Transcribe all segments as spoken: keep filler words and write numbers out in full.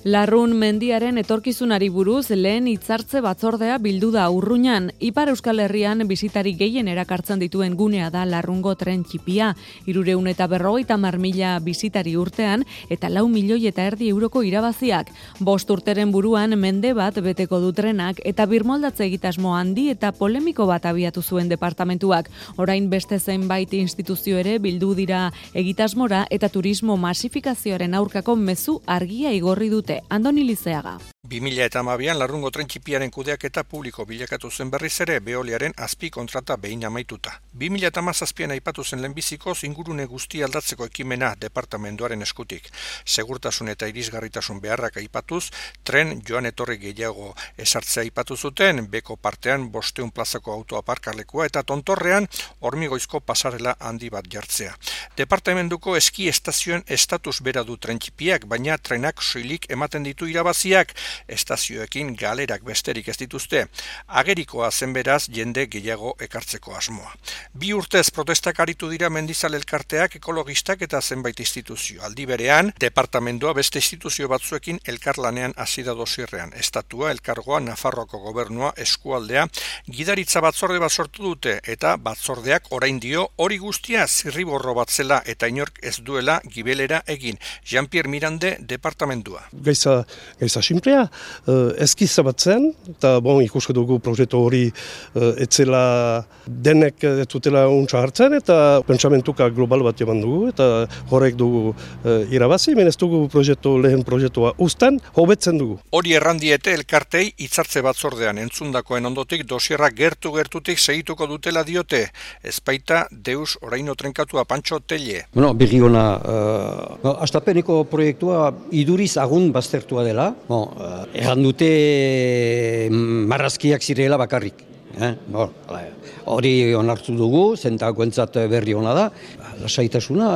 Larrun mendiaren etorkizunari buruz lehen hitzartze batzordea bildu da Urruñan. Ipar Euskal Herrian bisitari gehien erakartzen dituen gunea da Larrungo tren txipia. Hirurehun eta berrogeita hamar mila bisitari urtean eta lau milioi eta erdi euroko irabaziak. Bost urteren buruan mende bat beteko du trenak eta birmoldatze egitasmo handi eta polemiko bat abiatu zuen departamentuak. Orain beste zenbait instituzio ere bildu dira egitasmora eta turismo masifikazioaren aurkako mezu argia igorri dute. Andoni Lizeaga. bi mila hamabian Larrungo tren txipiaren kudeaketa publiko bilakatu zen berriz ere Veoliaren azpi kontrata behin amaituta. bi mila hamazazpian aipatu zen lehenbizikoz ingurune guzti aldatzeko ekimena departamenduaren eskutik. Segurtasun eta irisgarritasun beharrak aipatuz, tren joan etorri gehiago esartzea aipatu zuten, beko partean bosteun plazako autoaparkalekua eta tontorrean hormigoizko pasarela handi bat jartzea. Departamentuko eski estazioen estatus bera du tren txipiak, baina trenak soilik ematen ditu irabaziak, estazioekin galerak besterik ez dituzte. Agerikoa zen beraz jende gehiago ekartzeko asmoa. Bi urtez protestak aritu dira mendizal elkarteak, ekologistak eta zenbait instituzio. Aldi berean, departamentua beste instituzio batzuekin elkarlanean hasi da dosierrean. Estatua, elkargoa, Nafarroako gobernua, eskualdea, gidaritza batzorde bat sortu dute eta batzordeak orain dio hori guztia zirriborro bat zela eta inork ez duela gibelera egin. Jean-Pierre Mirande, departamentua. Gaiza, gaiza simplea, uh, eskiza bat zen, eta bon, ikusko dugu proiektu hori uh, etzela denek ez dutela untsa hartzen, eta pentsamentuka global bat eman dugu, eta horrek dugu uh, irabazi, men ez dugu proiektu, lehen proiektua uzten, hobetzen dugu. Hori errandiete elkartei hitzartze batzordean entzundakoen ondotik dosierrak gertu-gertutik segituko dutela diote, ezpaita deus oraino trenkatua Pantxo Telle. Bueno, berri ona, uh, astapeneko proiektua iduriz agun baztertua dela, bon, uh, erran dute marrazkiak zirela bakarrik. Eh? Bon, hori onartu dugu, zentakoentzat berri ona da. Lasaitasuna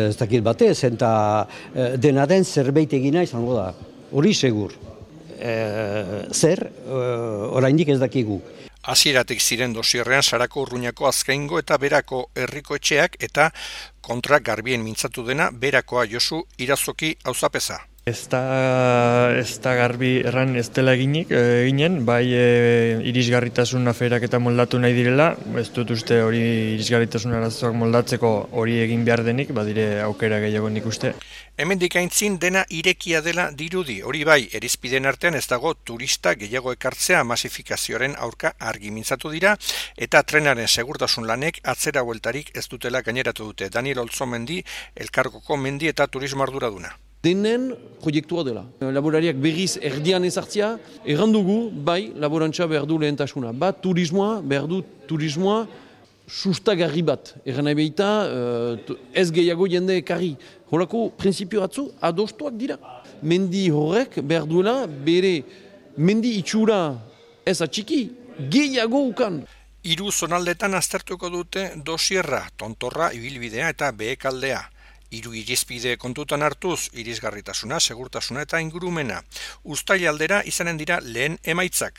ez dakit bate, zenta dena den zerbait egina izango da. Hori segur. E, zer, oraindik ez dakigu. Hasieratik ziren dosierrean Sarako Urruñako Azkaingo eta Berako herriko etxeak eta kontra garbien mintzatu dena Berakoa Josu Irazoki auzapeza. Ez da, ez da garbi erran ez dela eginik, eginen, bai e, irisgarritasun aferak eta moldatu nahi direla, ez dut uste hori irisgarritasun arazoak moldatzeko hori egin behar denik, badire aukera gehiago nik uste. Hemendik aintzin dena irekia dela dirudi, hori bai, erizpiden artean ez dago turista gehiago ekartzea masifikazioaren aurka argi mintzatu dira, eta trenaren segurtasun lanek atzera bueltarik ez dutela gaineratu dute. Daniel Olzomendi, Elkargoko mendi eta turismo arduraduna. Denen proiektua dela. Laborariak berriz erdian ezartzea, errandugu, bai, laborantza behar du lehentasuna. Bat, turismoa, behar du turismoa sustagarri bat. Erran nahi behita, ez gehiago jende ekarri. Horako, prinsipio batzu, adostuak dira. Mendi horrek behar duela, bere mendi itxura ez atxiki, gehiago ukan. Hiru zonaldetan aztertuko dute dosierra, tontorra, ibilbidea eta behekaldea. Hiru irizpide kontutan hartuz, irisgarritasuna, segurtasuna eta ingurumena. Uztaila aldera izanen dira lehen emaitzak.